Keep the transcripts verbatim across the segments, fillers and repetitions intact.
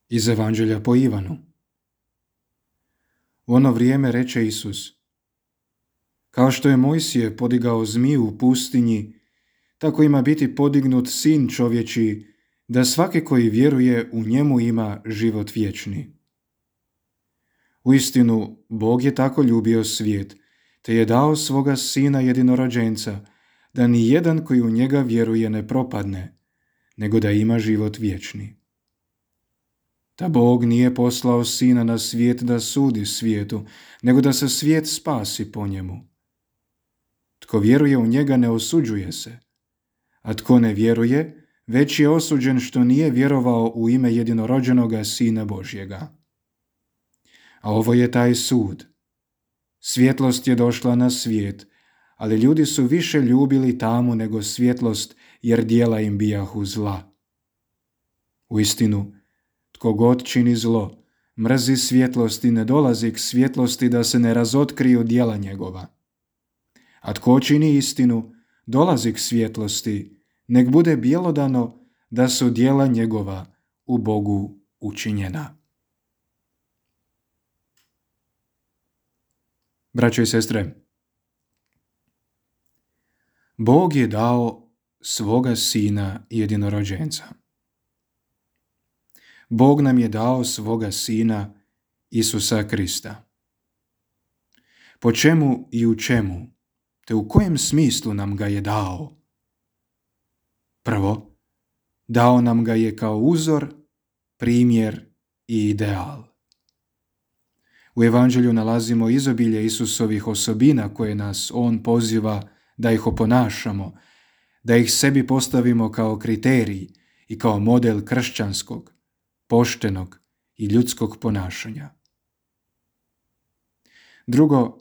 Iz Evanđelja po Ivanu. U ono vrijeme reče Isus: Kao što je Mojsije podigao zmiju u pustinji, tako ima biti podignut sin čovječiji, da svaki koji vjeruje u njemu ima život vječni. Uistinu, Bog je tako ljubio svijet, te je dao svoga sina jedinorođenca, da ni jedan koji u njega vjeruje ne propadne, nego da ima život vječni. Da Bog nije poslao sina na svijet da sudi svijetu, nego da se svijet spasi po njemu. Tko vjeruje u njega ne osuđuje se, a tko ne vjeruje, već je osuđen što nije vjerovao u ime jedinorođenoga Sina Božjega. A ovo je taj sud. Svjetlost je došla na svijet, ali ljudi su više ljubili tamu nego svjetlost, jer djela im bijahu zla. Uistinu, tko god čini zlo, mrzi svjetlost i ne dolazi k svjetlosti da se ne razotkriju djela njegova. A tko čini istinu, dolazi k svjetlosti, nek bude bjelodano da su djela njegova u Bogu učinjena. Braćo i sestre, Bog je dao svoga sina jedinorođenca. Bog nam je dao svoga sina Isusa Krista. Po čemu i u čemu, te u kojem smislu nam ga je dao? Prvo, dao nam ga je kao uzor, primjer i ideal. U Evanđelju nalazimo izobilje Isusovih osobina koje nas on poziva da ih oponašamo, da ih sebi postavimo kao kriterij i kao model kršćanskog, poštenog i ljudskog ponašanja. Drugo,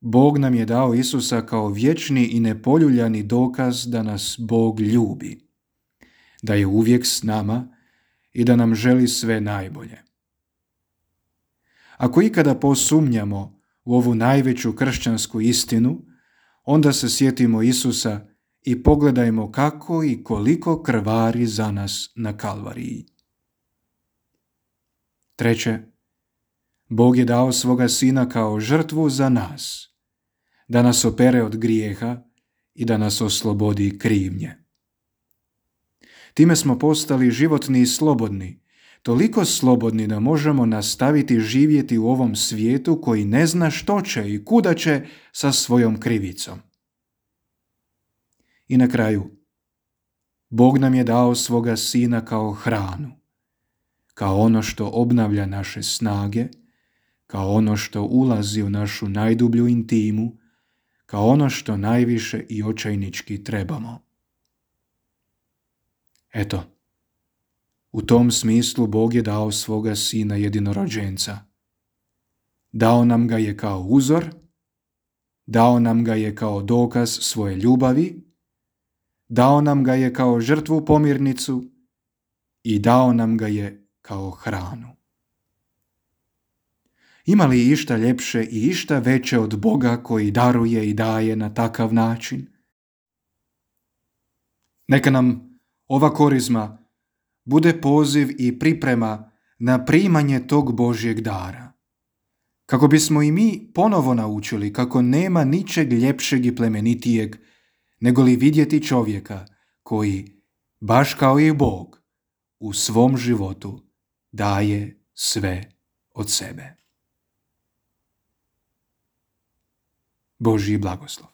Bog nam je dao Isusa kao vječni i nepoljuljani dokaz da nas Bog ljubi, da je uvijek s nama i da nam želi sve najbolje. Ako ikada posumnjamo u ovu najveću kršćansku istinu, onda se sjetimo Isusa i pogledajmo kako i koliko krvari za nas na Kalvariji. Treće, Bog je dao svoga sina kao žrtvu za nas, da nas opere od grijeha i da nas oslobodi krivnje. Time smo postali životni i slobodni, toliko slobodni da možemo nastaviti živjeti u ovom svijetu koji ne zna što će i kuda će sa svojom krivicom. I na kraju, Bog nam je dao svoga sina kao hranu, kao ono što obnavlja naše snage, kao ono što ulazi u našu najdublju intimu, kao ono što najviše i očajnički trebamo. Eto, u tom smislu Bog je dao svoga sina jedinorođenca. Dao nam ga je kao uzor, dao nam ga je kao dokaz svoje ljubavi, dao nam ga je kao žrtvu pomirnicu i dao nam ga je kao hranu. Ima li išta ljepše i išta veće od Boga koji daruje i daje na takav način? Neka nam ova korizma bude poziv i priprema na primanje tog Božjeg dara, kako bismo i mi ponovo naučili kako nema ničeg ljepšeg i plemenitijeg nego li vidjeti čovjeka koji, baš kao i Bog, u svom životu daje sve od sebe. Božji blagoslov.